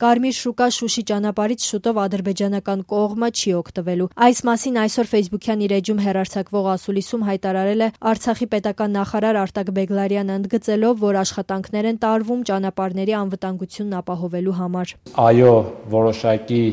Կարմիր շուկա Շուշի ճանապարհից շուտով ադրբեջանական կողմը չի օգտվելու։ Այս մասին այսօր Facebook-յան իր էջում հեռարձակվող ասուլիսում հայտարարել է Արցախի պետական նախարար Արտակ Բեգլարյանը, ընդգծելով, որ աշխատանքներ են տարվում ճանապարհների անվտանգությունն ապահովելու համար։ Այո, որոշակի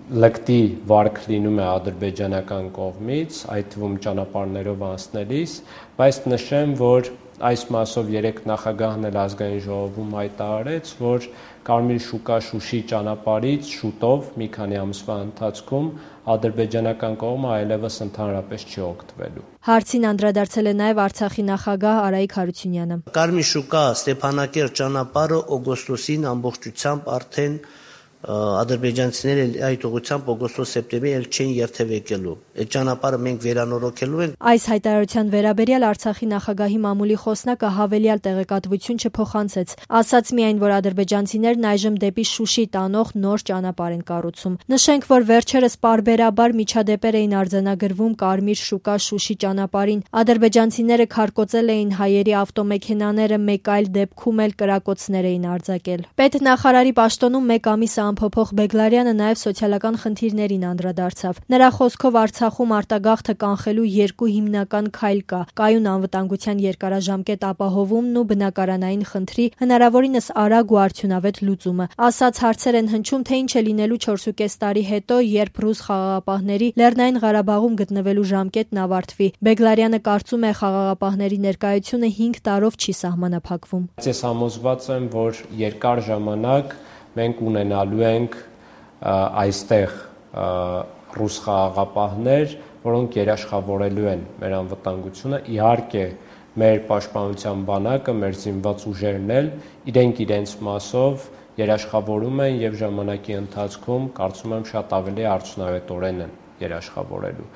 լկտի վարք լինում է ադրբեջանական կողմից, այդ թվում ճանապարհներով անցնելիս, բայց նշեմ, որ այս մասով երեք նախագահն էլ ազգային ժողովում հայտարարեց, որ Կարմիր շուկա Շուշի ճանապարհից շուտով մի քանի ամսվա ընթացքում ադրբեջանական կողմը այլևս ընդհանրապես չի օգտվելու։ Հարցին անդրադարձել է նաև Արցախի նախագահ Արայիկ Հարությունյանը։ Կարմիր շուկա Ստեփանակերտ ճանապարհը օգոստոսին ամբողջությամբ արդեն ադրբեջանցիները այդ ուղղությամբ օգոստոս-սեպտեմբեր էլ չեն երթևեկելու։ Այդ ճանապարհը մենք վերանորոգելու ենք։ Այս հայտարարության վերաբերյալ Արցախի նախագահի մամուլի խոսնակը հավելյալ տեղեկատվություն չփոխանցեց, ասաց միայն, որ ադրբեջանցիներն այժմ դեպի Շուշի տանող նոր ճանապարհ են կառուցում։ Նշենք, որ վերջերս պարբերաբար միջադեպեր էին արձանագրվում Կարմիր շուկա Շուշի ճանապարհին։ Ադրբեջանցիները քարկոծել էին հայերի ավտոմեքենաները, մեկ այլ դեպքում էլ կրակոցներ էին արձակել։ Պետնախարարի պաշտոնում մեկ ամիս ամփոփող Բեգլարյանը նաև սոցիալական խնդիրներին անդրադարձավ։ Նրա խոսքով Արցախում արտագաղթը կանխելու երկու հիմնական քայլ կա՝ կայուն անվտանգության երկարաժամկետ ապահովումն ու բնակարանային խնդրի հնարավորինս արագ ու արդյունավետ լուծումը։ Ասաց հարցեր են հնչում, թե ինչ է լինելու 4.5 տարի հետո, երբ ռուս խաղաղապահների Լեռնային Ղարաբաղում գտնվելու ժամկետն ավարտվի։ Բեգլարյանը կարծում է, խաղաղապահների ներկայությունը 5 տարով չի սահմանափակվում։ Ես համոզված եմ, որ երկար ժամանակ մենք ունենալու ենք այստեղ ռուս խաղաղապահներ, որոնք երաշխավորելու են մեր անվտանգությունը։ Իհարկե, մեր պաշտպանության բանակը, մեր զինված ուժերն էլ իրենց մասով երաշխավորում են եւ ժամանակի ընթացքում կարծում եմ շատ ավելի արդյունավետորեն են երաշխավորելու։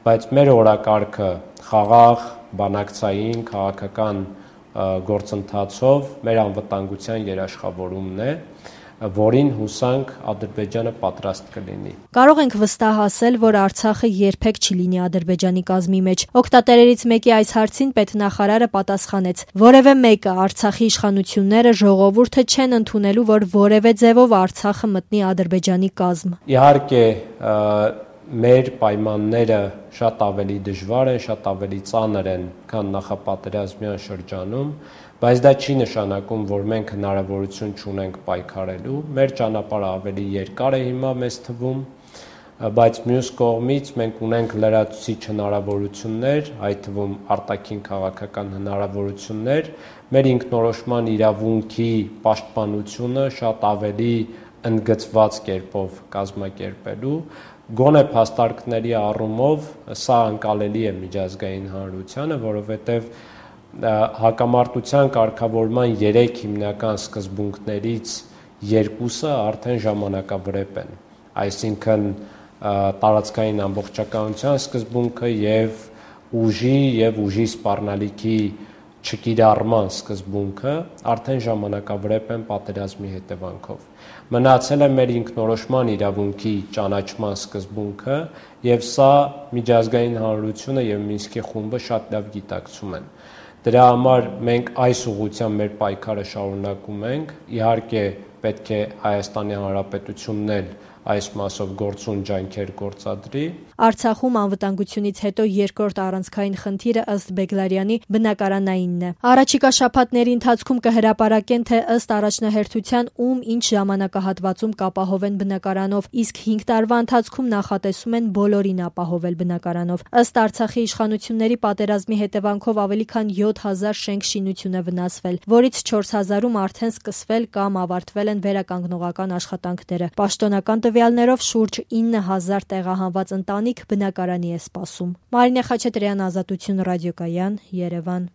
Բայց մեր օրակարգը խաղաղ, բանակցային, քաղաքական գործընթացով մեր անվտանգության երաշխավորումն է, որին հուսանք Ադրբեջանը պատրաստ կլինի։ Կարող ենք վստահ ասել, որ Արցախը երբեք չի լինի Ադրբեջանի կազմի մեջ։ Օգտատերերից մեկի այս հարցին պետնախարարը պատասխանեց. որևէ մեկը Արցախի իշխանությունները, ժողովուրդը չեն ընդունելու, որ որևէ ձևով Արցախը մտնի Ադրբեջանի կազմ։ Իհարկե, մեր պայմանները շատ ավելի դժվար են, շատ ավելի ծանր են, քան նախապատերազմյան շրջանում, բայց դա չի նշանակում, որ մենք հնարավորություն չունենք պայքարելու։ Մեր ճանապարհը ավելի երկար է հիմա մեզ թվում, բայց մյուս կողմից մենք ունենք լրացուցիչ հնարավորություններ, այդ թվում արտաքին քաղաքական հնարավորություններ, մեր ինքնորոշման իրավունքի պաշտպանությունը շատ ավելի ընդգծված կերպով կազմակերպելու, գոնե փաստարկների առումով սա անկալելի է միջազգային հանրությանը, որովհետև հակամարտության կարգավորման 3 հիմնական սկզբունքներից 2-ը արդեն ժամանակավրեպ են, այսինքն տարածքային ամբողջականության սկզբունքը եւ ուժի սպառնալիքի չկիրառման սկզբունքը արդեն ժամանակավրեպ են պատերազմի հետևանքով։ Մնացել է մեր ինքնորոշման իրավունքի ճանաչման սկզբունքը եւ սա միջազգային հանրությունը եւ Մինսկի խումբը շատ լավ գիտակցում են։ Դրա համար մենք այս ուղղությամբ մեր պայքարը շարունակում ենք։ Իհարկե պետք է Հայաստանի Հանրապետությունն էլ այս մասով գործուն ջանքեր գործադրի։ Արցախում անվտանգությունից հետո երկրորդ առանցքային խնդիրը ըստ Բեգլարյանի բնակարանայինն է։ Առաջիկա շաբաթների ընթացքում կհրապարակեն, թե ըստ առաջնահերթության ում ինչ ժամանակահատվածում կապահովեն բնակարանով, իսկ 5 տարվա ընթացքում նախատեսում են բոլորին ապահովել բնակարանով։ Ըստ Արցախի իշխանությունների պատերազմի հետևանքով ավելի քան 7000 շենք-շինություն է վնասվել, որից 4000-ում արդեն սկսվել կամ ավարտվել են վերականգնողական աշխատանքները։ Պաշտոնական տվյալներով շուրջ 9000 տեղահանված ընտանիք բնակարանի է սպասում։ Մարինե Խաչատրյան, Ազատություն ռադիոկայան, Երևան։